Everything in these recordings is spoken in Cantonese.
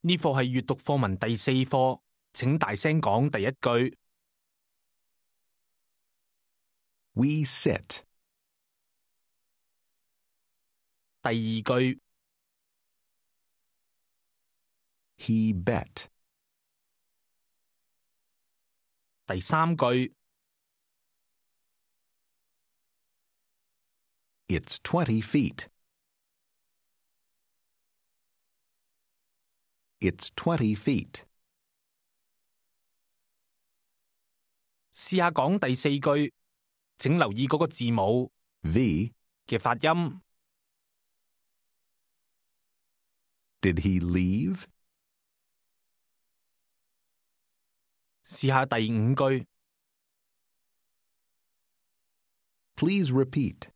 呢課係閱讀課文第4課，請大聲講第一句。We sit. 第二句。He bet. 第三句。It's 20 feet. It's 20 feet. 試下講第4句，請留意嗰個字母 V. 嘅發音。Did he leave? 試下第5句。Please repeat.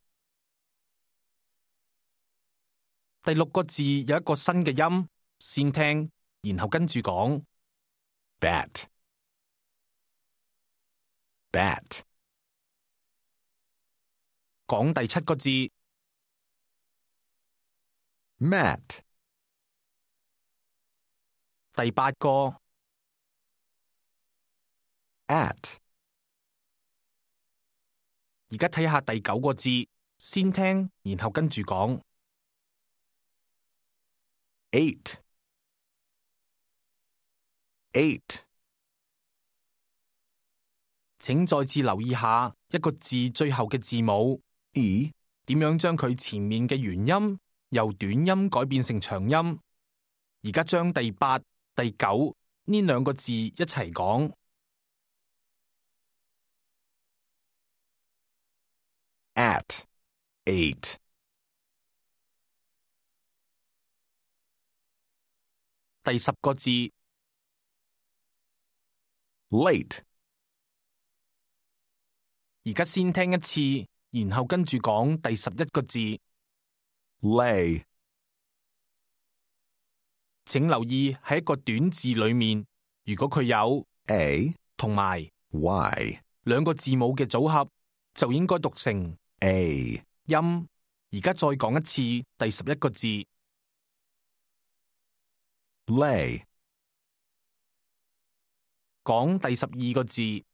第6個字有一個新嘅音，先聽，然後跟住講。Bat. Bat. 講第7個字。Mat. 第8個。At. 而家睇下第9個字，先聽，然後跟住講。8. 8. 請再次留意下一個字最後嘅字母 E. 點樣將佢前面嘅元音由短音改變成長音。而家將第8、第9呢2個字一齊講。At. 8. 第10個字。Late. 而家先聽一次，然後跟住講第11個字。Lay. 請留意喺一個短字裏面，如果佢有 A. 同埋 Y. 2個字母嘅組合，就應該讀成 A. 音。而家再講一次第11個字。Lay. 講第12個字。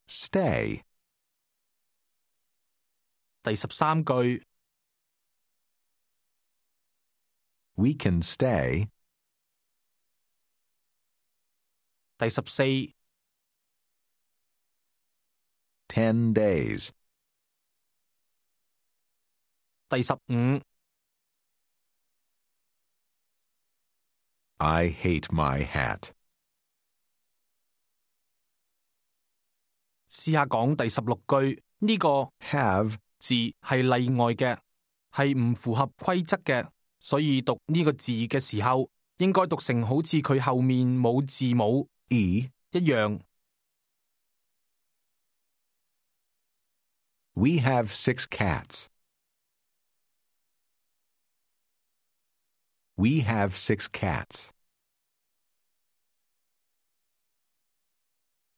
Stay. 第13句。We can stay. 第14。10 days. 第15。I hate my hat. 試下講第16句，呢個 Have. 字係例外嘅，係唔符合規則嘅，所以讀呢個字嘅時候，應該讀成好似佢後面冇字母 E. 一樣。We have 6 cats. We have 6 cats.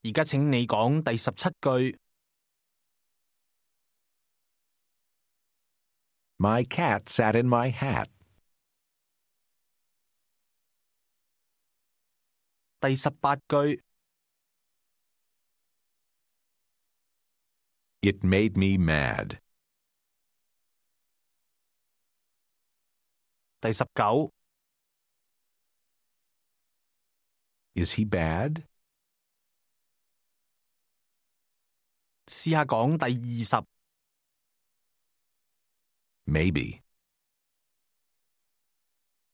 而家請你講第17句。My cat sat in my hat. 第18句。It made me mad. 第19。Is he bad? 試下講第20。Maybe.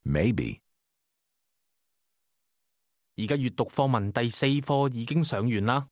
Maybe. 而家閱讀課文第4課已經上完啦。